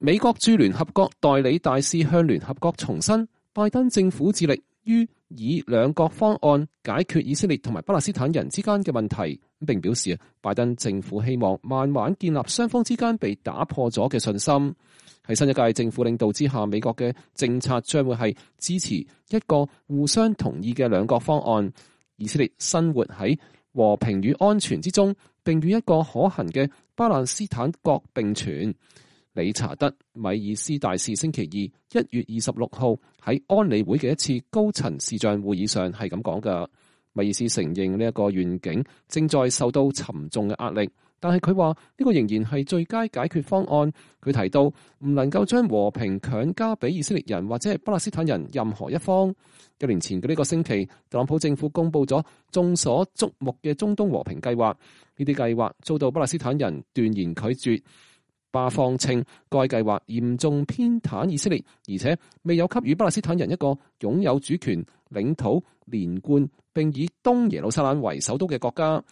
美國駐聯合國代理大使向聯合國重申，拜登政府致力於以兩國方案解決以色列同埋巴勒斯坦人之間嘅問題，並表示拜登政府希望慢慢建立雙方之間被打破咗嘅信心。喺新一屆政府領導之下，美國嘅政策將會係支持一個互相同意嘅兩國方案，以色列生活喺和平與安全之中，並與一個可行嘅巴勒斯坦國並存。理查德·米爾斯大使星期二1月26號喺安理會嘅一次高層視像會議上係咁講㗎。米爾斯承認呢一個願景正在受到沉重嘅壓力，但係佢話呢個仍然係最佳解決方案。佢提到唔能夠將和平強加俾以色列人或者係巴勒斯坦人任何一方。1年前嘅呢個星期，特朗普政府公布咗眾所矚目嘅中東和平計劃，呢啲計劃遭到巴勒斯坦人斷言拒絕。巴方稱該計劃嚴重偏袒以色列，而且未有給予巴勒斯坦人一個擁有主權、領土連貫並以東耶路撒冷為首都嘅國家。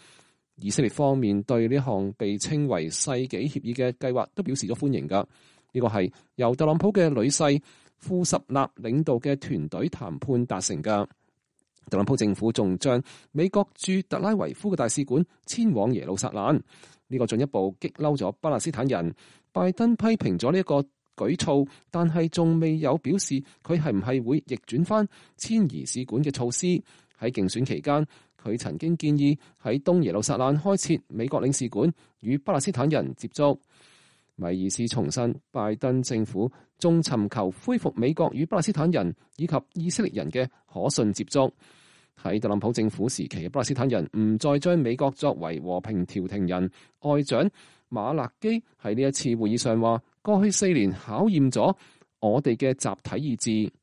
以色列方面對呢項被稱為世紀協議嘅計劃都表示咗歡迎㗎。呢個係由特朗普嘅女婿庫什納領導嘅團隊談判達成㗎。特朗普政府仲將美國駐特拉維夫嘅大使館遷往耶路撒冷。呢個進一步激嬲咗巴勒斯坦人。拜登批評咗呢一個舉措，但係仲未有表示佢係唔係會逆轉翻遷移使館嘅措施。喺競選期間，佢曾經建議喺東耶路撒冷開設美國領事館，與巴勒斯坦人接觸。米爾斯重申，拜登政府仲尋求恢復美國與巴勒斯坦人以及以色列人嘅可信接觸。喺特朗普政府時期嘅巴勒斯坦人唔再將美國作為和平調停人。外長馬勒基喺呢一次會議上話：過去4年考驗咗我哋嘅集體意志。